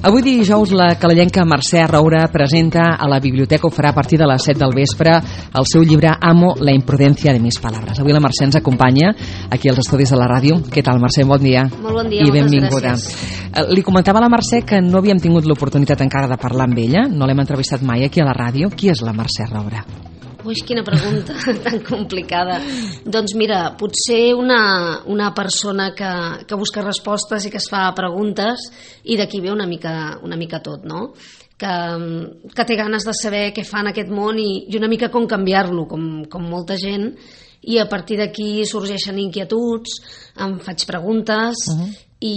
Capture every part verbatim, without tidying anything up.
Avui dijous la calellenca Mercè Roura presenta a la biblioteca, ho farà a partir de les set del vespre, el seu llibre Amo la imprudencia de mis palabras. Avui la Mercè ens acompanya aquí als estudis de la ràdio. Què tal, Mercè? Bon dia. Molt bon dia, i moltes benvinguda. gràcies. Li comentava a la Mercè que no havíem tingut l'oportunitat encara de parlar amb ella, no l'hem entrevistat mai aquí a la ràdio. Qui és la Mercè Roura? Ui, quina pregunta tan complicada. Doncs mira, potser una, una persona que, que busca respostes i que es fa preguntes, i d'aquí ve una mica, una mica tot, no? Que, que té ganes de saber què fa en aquest món i, i una mica com canviar-lo, com, com molta gent, i a partir d'aquí sorgeixen inquietuds, em faig preguntes, uh-huh. i,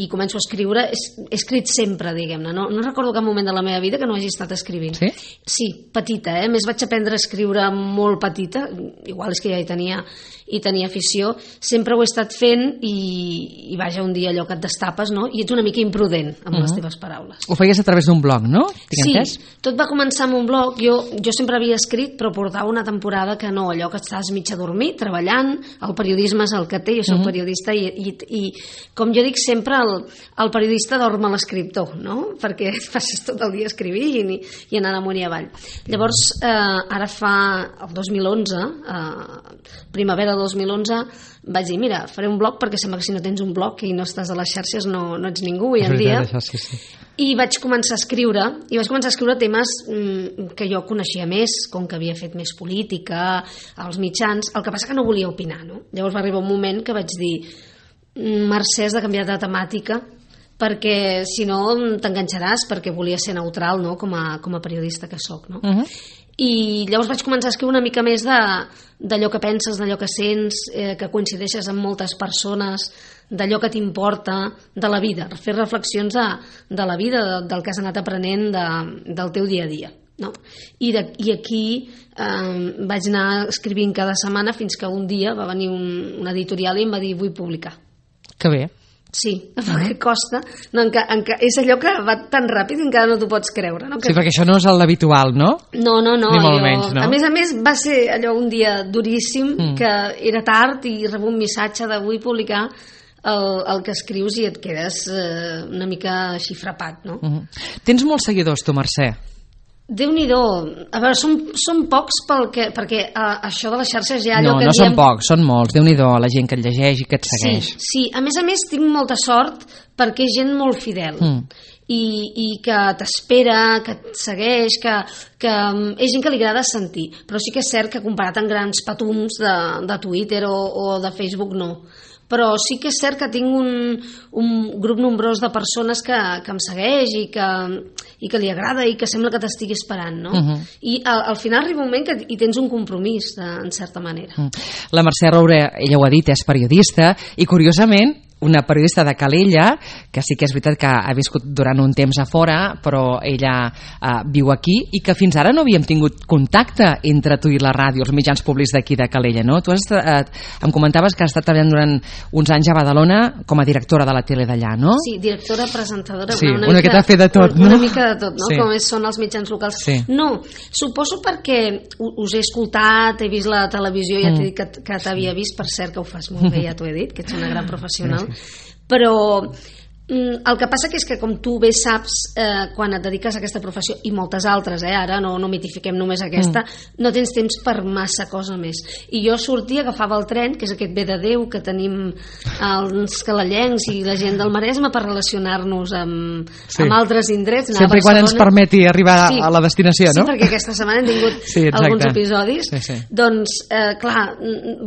i començo a escriure. He, he escrit sempre, diguem-ne, no, no recordo cap moment de la meva vida que no hagi estat escrivint. Sí? Sí, petita, eh? Més vaig aprendre a escriure molt petita, igual és que ja hi tenia, hi tenia afició, sempre ho he estat fent i, i vaja, un dia allò que et destapes, no? I ets una mica imprudent amb uh-huh. les teves paraules. Ho feies a través d'un blog, no? Tinc sí, entès? Tot va començar amb un blog. Jo, jo sempre havia escrit, però portava una temporada que no, allò que estàs mig adormit, treballant, el periodisme és el que té, jo soc uh-huh. periodista i, i, i com jo dic sempre, el, el periodista dorm a l'escriptor, no? Perquè passes tot el dia escrivint i, i anant amunt i avall. Llavors, eh, ara fa el dos mil onze, eh, primavera del dos mil onze, vaig dir, mira, faré un blog perquè sembla que si no tens un blog i no estàs a les xarxes no, no ets ningú avui en dia. Sí, sí. I vaig començar a escriure, i vaig començar a escriure temes mm, que jo coneixia més, com que havia fet més política, als mitjans, el que passa que no volia opinar, no? Llavors va arribar un moment que vaig dir, Mercè, has de canviar de temàtica, perquè si no t'enganxaràs, perquè volia ser neutral, no? com, a, com a periodista que soc, no? Uh-huh. I llavors vaig començar a escriure una mica més de, d'allò que penses, d'allò que sents, eh, que coincideixes amb moltes persones, d'allò que t'importa, de la vida, fer reflexions de, de la vida, de, del que has anat aprenent de, del teu dia a dia. No? I, de, i aquí eh, vaig anar escrivint cada setmana fins que un dia va venir un, un editorial i em va dir vull publicar. Que bé. Sí, perquè costa, no, enca, enca, és allò que va tan ràpid que encara no t'ho pots creure, no? Que... Sí, perquè això no és l'habitual, no? No, no, no. Ni molt jo... menys, no? A més a més va ser allò un dia duríssim, mm. que era tard i rebo un missatge de vull publicar el, el que escrius i et quedes eh, una mica així frapat, no? Mm-hmm. Tens molts seguidors, tu, Mercè? Déu-n'hi-do. A veure, són, són pocs pel que, perquè a, això de les xarxes ja... No, allò que no diem... són pocs, són molts. Déu-n'hi-do, la gent que et llegeix i que et segueix. Sí, sí. A més a més tinc molta sort perquè és gent molt fidel mm. I, i que t'espera, que et segueix, que, que és gent que li agrada sentir. Però sí que és cert que comparat amb grans patums de, de Twitter o, o de Facebook no. Però sí que és cert que tinc un, un grup nombrós de persones que, que em segueix i que, i que li agrada i que sembla que t'estigui esperant, no? Uh-huh. I al, al final arriba un moment que hi tens un compromís, de, en certa manera. Uh-huh. La Mercè Roura, ella ho ha dit, és periodista i curiosament una periodista de Calella, que sí que és veritat que ha viscut durant un temps a fora, però ella eh, viu aquí, i que fins ara no havíem tingut contacte entre tu i la ràdio, els mitjans públics d'aquí de Calella, no? Tu has, eh, em comentaves que has estat treballant durant uns anys a Badalona com a directora de la tele d'allà, no? Sí, directora, presentadora... Sí, una, una, una mica de fer de tot, una, no? Una mica de tot, no? Sí. Com és, són els mitjans locals. Sí. No, suposo perquè us he escoltat, he vist la televisió, ja t'he dit que, que t'havia vist, per cert que ho fas molt bé, ja t'ho he dit, que ets una gran professional. Gràcies. Però el que passa que és que, com tu bé saps, eh, quan et dediques a aquesta professió, i moltes altres, eh, ara no, no mitifiquem només aquesta, mm. no tens temps per massa cosa més. I jo sortia, agafava el tren, que és aquest bé de Déu que tenim els calellencs i la gent del Maresme per relacionar-nos amb, sí. amb altres indrets. Sempre quan ens permeti arribar sí. a la destinació, no? Sí, perquè aquesta setmana hem tingut sí, alguns episodis. Sí, sí. Doncs, eh, clar,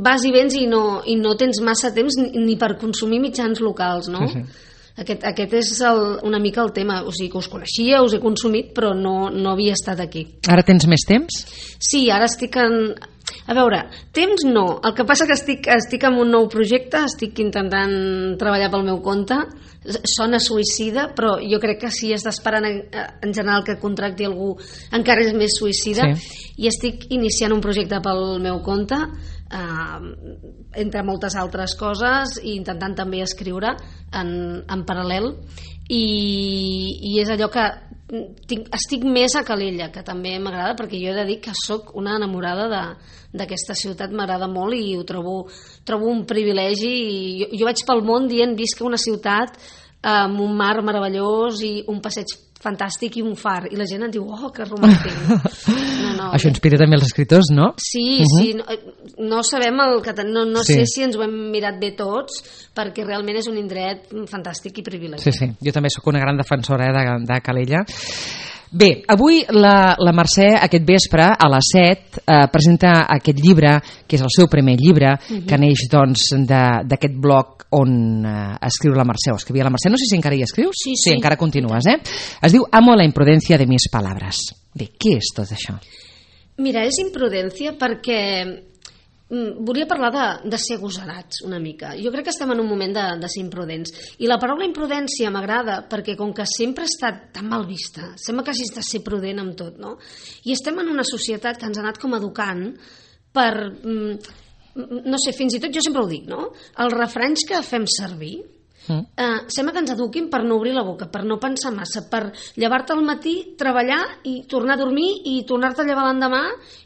vas i vens i no, i no tens massa temps ni, ni per consumir mitjans locals, no? Sí, sí. Aquest, aquest és el, una mica el tema, o sigui que us coneixia, us he consumit, però no, no havia estat aquí. Ara tens més temps? Sí, ara estic en... A veure, temps no, el que passa que estic, estic en un nou projecte, estic intentant treballar pel meu compte, sona suïcida, però jo crec que si has d'esperar en, en general que contracti algú encara és més suïcida, sí. I estic iniciant un projecte pel meu compte, eh, entre moltes altres coses, i intentant també escriure en, en paral·lel, i, i és allò que tinc, estic més a Calella, que també m'agrada, perquè jo he de dir que sóc una enamorada de, d'aquesta ciutat, m'agrada molt i ho trobo, trobo un privilegi, i jo, jo vaig pel món dient visc a una ciutat amb un mar meravellós i un passeig fantàstic i un far, i la gent et diu, oh, que romàntic. No, no, això inspira també els escriptors, no? Sí, uh -huh. sí, no, no sabem el que... No, no sí. sé si ens ho hem mirat bé tots, perquè realment és un indret fantàstic i privilegiat. Sí, sí, jo també sóc una gran defensora eh, de, de Calella. Bé, avui la, la Mercè aquest vespre a les set eh, presenta aquest llibre, que és el seu primer llibre, uh-huh. que neix doncs d'aquest blog on eh, escriu la Mercè, o escrivia la Mercè, no sé si encara hi escrius, sí, sí. sí, encara continues, eh? Es diu Amo la imprudencia de mis palabras. Bé, què és tot això? Mira, és imprudència perquè volia parlar de, de ser agosarats una mica. Jo crec que estem en un moment de, de ser imprudents. I la paraula imprudència m'agrada perquè com que sempre ha estat tan mal vista, sembla que hagis de ser prudent amb tot, no? I estem en una societat que ens ha anat com educant per, no sé, fins i tot jo sempre ho dic, no? Els refranys que fem servir Mm. Uh, sembla que ens eduquin per no obrir la boca, per no pensar massa, per llevar-te al matí, treballar i tornar a dormir i tornar-te a llevar l'endemà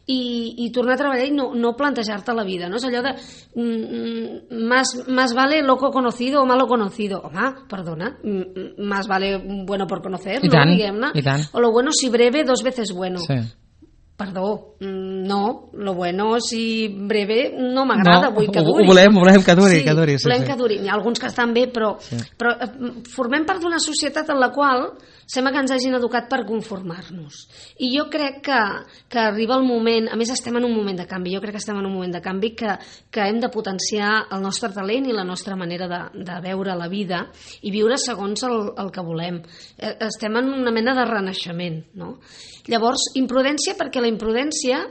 i, i tornar a treballar i no, no plantejar-te la vida, no? És allò de mm, más, más vale loco conocido o malo conocido. Home, perdona, más vale bueno por conocer, I no? tant, Diguem-ne. i tant. O lo bueno si breve, dos veces bueno. Sí. Perdó, no, lo bueno si breve no m'agrada, no, vull que duri. Ho volem, ho volem que duri, sí, que duri. Sí, volem sí. que duri. Hi ha alguns que estan bé, però, sí. però formem part d'una societat en la qual sembla que ens hagin educat per conformar-nos. I jo crec que, que arriba el moment, a més estem en un moment de canvi, jo crec que estem en un moment de canvi que, que hem de potenciar el nostre talent i la nostra manera de, de veure la vida i viure segons el, el que volem. Estem en una mena de renaixement, no? Llavors, imprudència, perquè la imprudència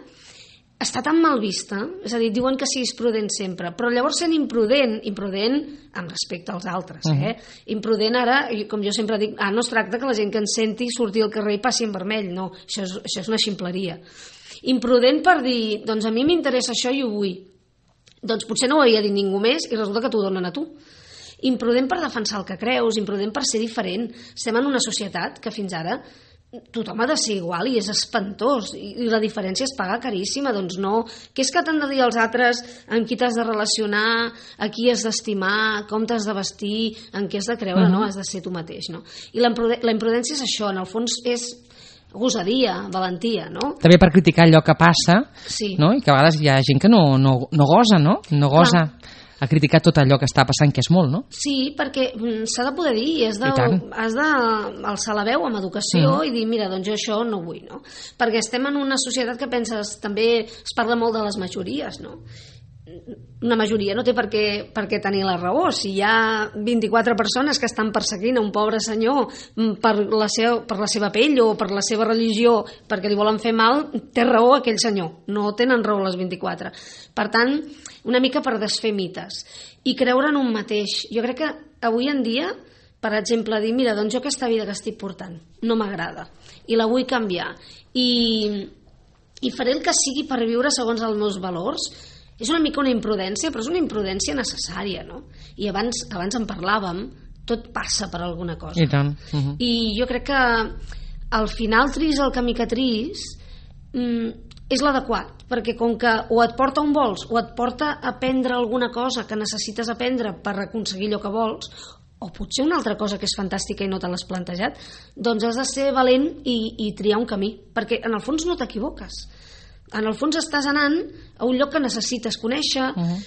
està tan mal vista, és a dir, diuen que siguis prudent sempre, però llavors sent imprudent, imprudent amb respecte als altres, eh? Uh-huh. Imprudent ara, com jo sempre dic, ah, no es tracta que la gent que ens senti surti al carrer i passi en vermell, no, això és, això és una ximpleria. Imprudent per dir, doncs a mi m'interessa això i ho vull. Doncs potser no ho havia dit ningú més i resulta que t'ho donen a tu. Imprudent per defensar el que creus, imprudent per ser diferent. Estem en una societat que fins ara tothom ha de ser igual i és espantós i la diferència es paga caríssima, doncs no, què és que t'han de dir els altres amb qui t'has de relacionar, a qui has d'estimar, com t'has de vestir, en què has de creure, uh-huh. no? Has de ser tu mateix, no? I la imprudència és això, en el fons és gosadia, valentia, no? També per criticar allò que passa, sí. no? I que a vegades hi ha gent que no, no, no gosa, no? No gosa. Clar. A criticar tot allò que està passant, que és molt, no? Sí, perquè s'ha de poder dir i has de, has de alçar la veu amb educació mm. i dir, mira, doncs jo això no vull, no? Perquè estem en una societat que penses, també es parla molt de les majories, no? Una majoria no té per què, per què tenir la raó. Si hi ha vint-i-quatre persones que estan perseguint a un pobre senyor per la, seva, per la seva pell o per la seva religió perquè li volen fer mal, té raó aquell senyor, no tenen raó les vint-i-quatre. Per tant, una mica per desfer mites i creure en un mateix. Jo crec que avui en dia, per exemple, dir, mira, doncs jo aquesta vida que estic portant no m'agrada i la vull canviar i, i faré el que sigui per viure segons els meus valors. És una mica una imprudència, però és una imprudència necessària, no? I abans, abans en parlàvem, tot passa per alguna cosa. I tant. Uh-huh. I jo crec que al final tris el camí que tris mm, és l'adequat, perquè com que o et porta on vols o et porta a aprendre alguna cosa que necessites aprendre per aconseguir allò que vols, o potser una altra cosa que és fantàstica i no te l'has plantejat, doncs has de ser valent i, i triar un camí, perquè en el fons no t'equivoques. En el fons estàs anant a un lloc que necessites conèixer, uh-huh.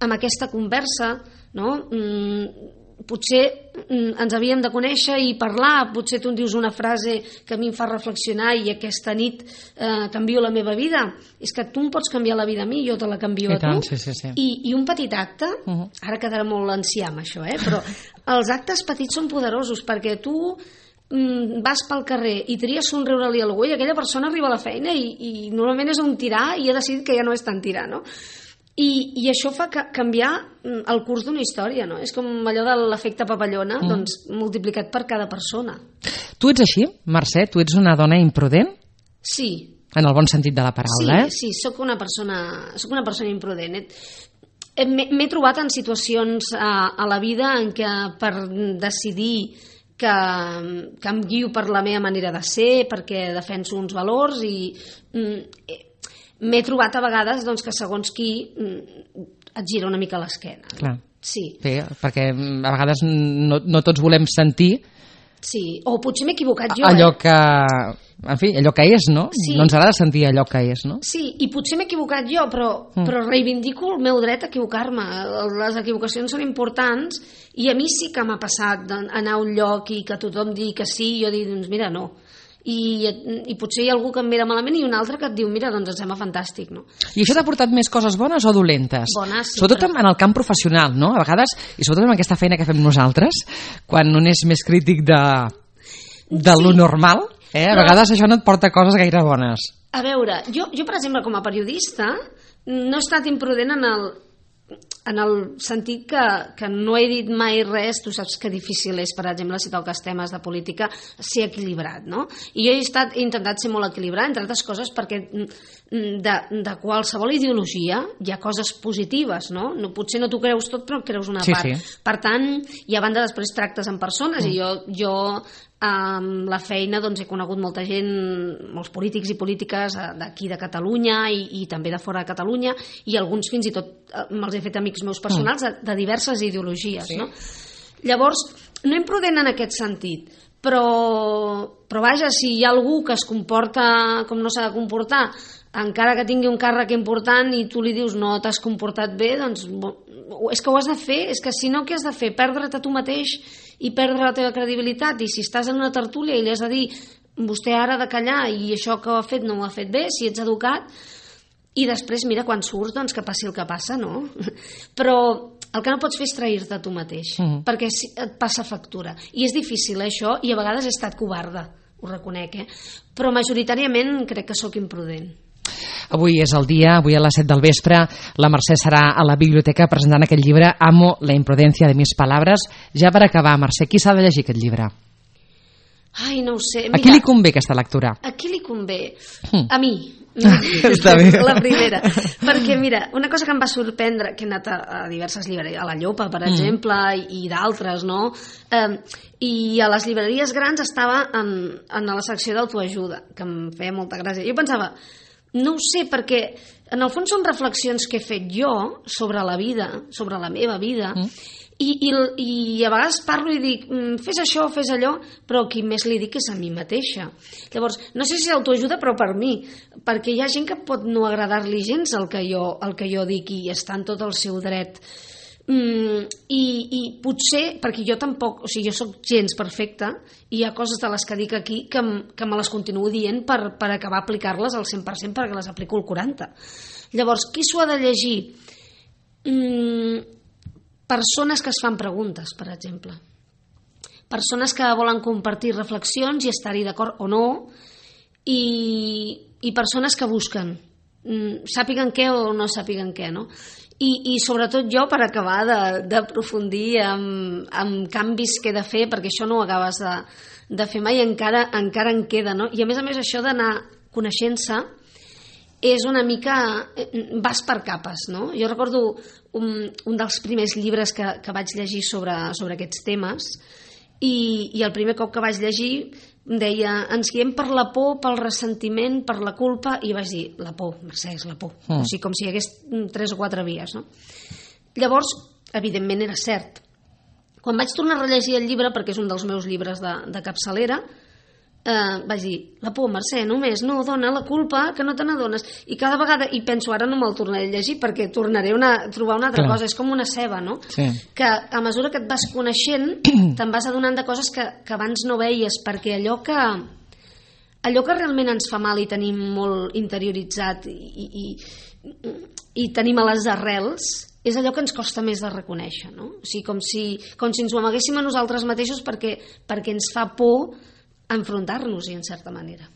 amb aquesta conversa, no? Mm, potser mm, ens havíem de conèixer i parlar, potser tu em dius una frase que a mi em fa reflexionar i aquesta nit eh, canvio la meva vida. És que tu em pots canviar la vida a mi, jo te la canvio I a tant, tu. sí, sí, sí. I, I un petit acte, uh-huh. ara quedarà molt ancià amb això, eh? Però els actes petits són poderosos perquè tu vas pel carrer i tries somriure-li a algú i aquella persona arriba a la feina i, i normalment és un tirà i ha decidit que ja no és tan tirà, no? I, i això fa ca- canviar el curs d'una història, no? És com allò de l'efecte papallona, mm. doncs multiplicat per cada persona. Tu ets així, Mercè? Tu ets una dona imprudent? Sí. En el bon sentit de la paraula, sí, eh? Sí, sóc una persona, sóc una persona imprudent. M'he, m'he trobat en situacions a, a la vida en què per decidir que, que em guio per la meva manera de ser, perquè defenso uns valors i mm, m'he trobat a vegades doncs, que segons qui mm, et gira una mica l'esquena. Clar. Sí. Sí, perquè a vegades no, no tots volem sentir Sí, o potser m'he equivocat jo, allò eh? que... En fi, allò que és, no? Sí. No ens agrada sentir allò que és, no? Sí, i potser m'he equivocat jo, però, mm. però reivindico el meu dret a equivocar-me. Les equivocacions són importants i a mi sí que m'ha passat anar a un lloc i que tothom digui que sí i jo dic, doncs mira, no. I, i potser hi ha algú que em mira malament i un altre que et diu, mira, doncs em sembla fantàstic, no? I això t'ha portat més coses bones o dolentes? Bones, sí. Sobretot en el camp professional, no? A vegades, i sobretot en aquesta feina que fem nosaltres, quan un és més crític de, de sí. lo normal, eh? A Però, vegades això no et porta coses gaire bones. A veure, jo, jo per exemple, com a periodista, no he estat imprudent en el, en el sentit que, que no he dit mai res. Tu saps que difícil és, per exemple, si toques temes de política, ser equilibrat, no? I jo he, estat, he intentat ser molt equilibrat, entre altres coses, perquè de, de qualsevol ideologia hi ha coses positives, no? no potser no t'ho creus tot, però creus una sí, part. Sí. Per tant, i a banda després tractes amb persones, mm. i jo... jo amb la feina doncs, he conegut molta gent, molts polítics i polítiques d'aquí de Catalunya i, i també de fora de Catalunya, i alguns fins i tot me'ls he fet amics meus personals de, de diverses ideologies, sí. no? Llavors, no imprudent en aquest sentit, però, però vaja, si hi ha algú que es comporta com no s'ha de comportar, encara que tingui un càrrec important i tu li dius no t'has comportat bé, doncs és que ho has de fer, és que si no què has de fer? Perdre't a tu mateix i perdre la teva credibilitat, i si estàs en una tertúlia i li has de dir vostè ara ha de callar i això que ho ha fet no ho ha fet bé, si ets educat, i després mira quan surts doncs que passi el que passa, no? Però el que no pots fer és trair-te a tu mateix, mm. perquè et passa factura, i és difícil eh, això, i a vegades he estat covarda, ho reconec, eh? Però majoritàriament crec que sóc imprudent. Avui és el dia, avui a les set del vespre la Mercè serà a la biblioteca presentant aquest llibre Amo la imprudencia de mis palabras. Ja per acabar, Mercè, qui s'ha de llegir aquest llibre? Ai, no ho sé. Mira, a qui li convé aquesta lectura? A qui li convé? Mm. A mi. Està bé. La primera. Perquè, mira, una cosa que em va sorprendre, que he anat a, a diverses llibreries, a la Llopa, per mm. exemple, i, i d'altres, no? Eh, I a les llibreries grans estava en, en la secció d'autoajuda, que em feia molta gràcia. Jo pensava, no ho sé, perquè en el fons són reflexions que he fet jo sobre la vida, sobre la meva vida, mm. i, i, i a vegades parlo i dic fes això, fes allò, però qui més li dic és a mi mateixa. Llavors, no sé si autoajuda, però per mi, perquè hi ha gent que pot no agradar-li gens el que jo, el que jo dic i està en tot el seu dret. Mm, i, i potser, perquè jo tampoc, o sigui, jo sóc gens perfecta i hi ha coses de les que dic aquí que, que me les continuo dient per, per acabar aplicar-les al cent per cent perquè les aplico al quaranta per cent. Llavors, qui s'ho ha de llegir? Mm, persones que es fan preguntes, per exemple. Persones que volen compartir reflexions i estar-hi d'acord o no, i, i persones que busquen, mm, sàpiguen què o no sàpiguen què, no? I, i sobretot jo, per acabar d'aprofundir amb, amb canvis que he de fer, perquè això no ho acabes de, de fer mai, encara, encara en queda, no? I a més a més això d'anar coneixent-se és una mica, vas per capes, no? Jo recordo un, un dels primers llibres que, que vaig llegir sobre, sobre aquests temes, i, i el primer cop que vaig llegir em deia, ens guiem per la por, pel ressentiment, per la culpa, i vaig dir, la por, Mercè, és la por. Mm. O sigui, com si hi hagués tres o quatre vies, no? Llavors, evidentment era cert. Quan vaig tornar a rellegir el llibre, perquè és un dels meus llibres de, de capçalera, eh, vaig dir, la por, Mercè, només, no, dona, la culpa, que no te n'adones. I cada vegada, i penso, ara no me'l tornaré a llegir, perquè tornaré una, a trobar una altra Clar. cosa, és com una ceba, no? Sí. Que a mesura que et vas coneixent, te'n vas adonant de coses que, que abans no veies, perquè allò que allò que realment ens fa mal i tenim molt interioritzat i, i, i tenim a les arrels, és allò que ens costa més de reconèixer, no? O sigui, com si, com si ens ho amaguéssim a nosaltres mateixos perquè, perquè ens fa por enfrontar-nos-hi, en certa manera.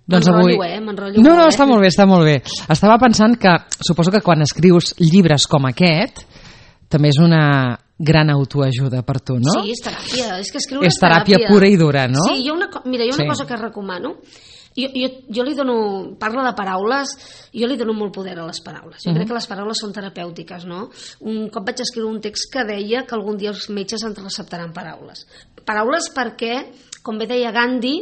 Doncs m'enrotllo, avui... eh? M'enrotllo no, no, molt, està eh? molt bé, està molt bé. Estava pensant que suposo que quan escrius llibres com aquest també és una gran autoajuda per tu, no? Sí, és teràpia. És que escriure és teràpia, teràpia pura i dura, no? Sí, hi ha una, mira, hi ha una sí. cosa que recomano. Jo, jo, jo li dono, parla de paraules, jo li dono molt poder a les paraules. Jo uh-huh. crec que les paraules són terapèutiques, no? Un cop vaig escriure un text que deia que algun dia els metges ens receptaran paraules. Paraules perquè, com bé deia Gandhi,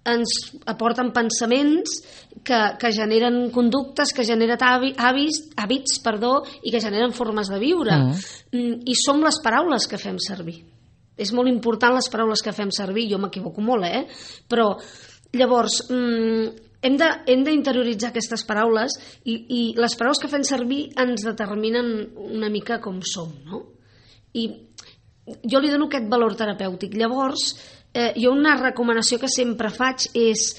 ens aporten pensaments que, que generen conductes, que generen hàbits, hàbits perdó, i que generen formes de viure. Mm. I som les paraules que fem servir. És molt important les paraules que fem servir, jo m'equivoco molt, eh? Però llavors mm, hem de, hem d'interioritzar aquestes paraules i, i les paraules que fem servir ens determinen una mica com som, no? I jo li dono aquest valor terapèutic. Llavors, eh, jo una recomanació que sempre faig és,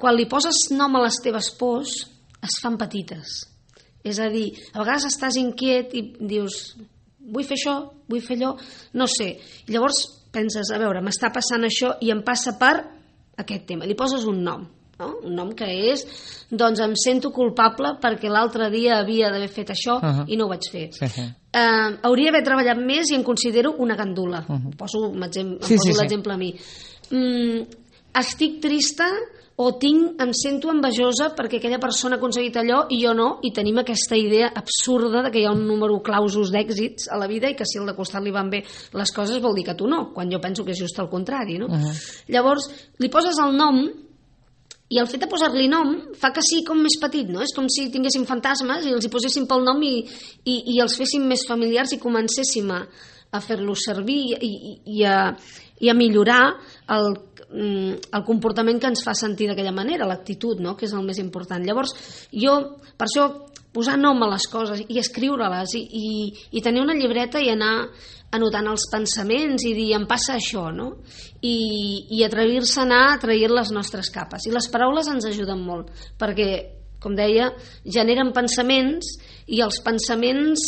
quan li poses nom a les teves pors, es fan petites. És a dir, a vegades estàs inquiet i dius, vull fer això, vull fer allò, no sé. I llavors penses, a veure, m'està passant això i em passa per aquest tema. Li poses un nom, no? Un nom que és, doncs em sento culpable perquè l'altre dia havia d'haver fet això uh-huh. i no ho vaig fer. Sí, sí. Uh, hauria d'haver treballat més i em considero una gandula. Uh-huh. Poso, em sí, poso sí, l'exemple sí. a mi. Mm, estic trista o tinc, em sento envejosa perquè aquella persona ha aconseguit allò i jo no, i tenim aquesta idea absurda de que hi ha un número clausus d'èxits a la vida i que si al de costat li van bé les coses vol dir que tu no, quan jo penso que és just el contrari, no? Uh-huh. Llavors, li poses el nom i el fet de posar-li nom fa que sigui com més petit, no? És com si tinguéssim fantasmes i els hi poséssim pel nom i, i, i els féssim més familiars i comencéssim a, a fer-los servir i, i, i, a, i a millorar el, el comportament que ens fa sentir d'aquella manera, l'actitud, no? Que és el més important. Llavors, jo, per això, posar nom a les coses i escriure-les i, i, i tenir una llibreta i anar anotant els pensaments i dir, em passa això, no? I, i atrevir-se a anar a trair les nostres capes. I les paraules ens ajuden molt, perquè, com deia, generen pensaments i els pensaments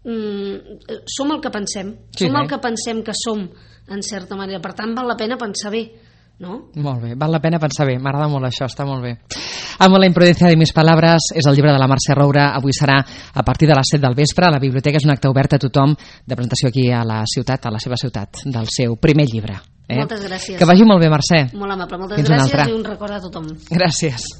mm, som el que pensem. Sí, som el que pensem que som, en certa manera. Per tant, val la pena pensar bé, no? Molt bé, val la pena pensar bé. M'agrada molt això, està molt bé. Amb la imprudencia de mis palabras és el llibre de la Mercè Roura. Avui serà a partir de les set del vespre. La biblioteca és un acte obert a tothom, de presentació aquí a la ciutat, a la seva ciutat, del seu primer llibre. Eh? Moltes gràcies. Que vagi molt bé, Mercè. Molt amable, moltes Fins gràcies i un record a tothom. Gràcies.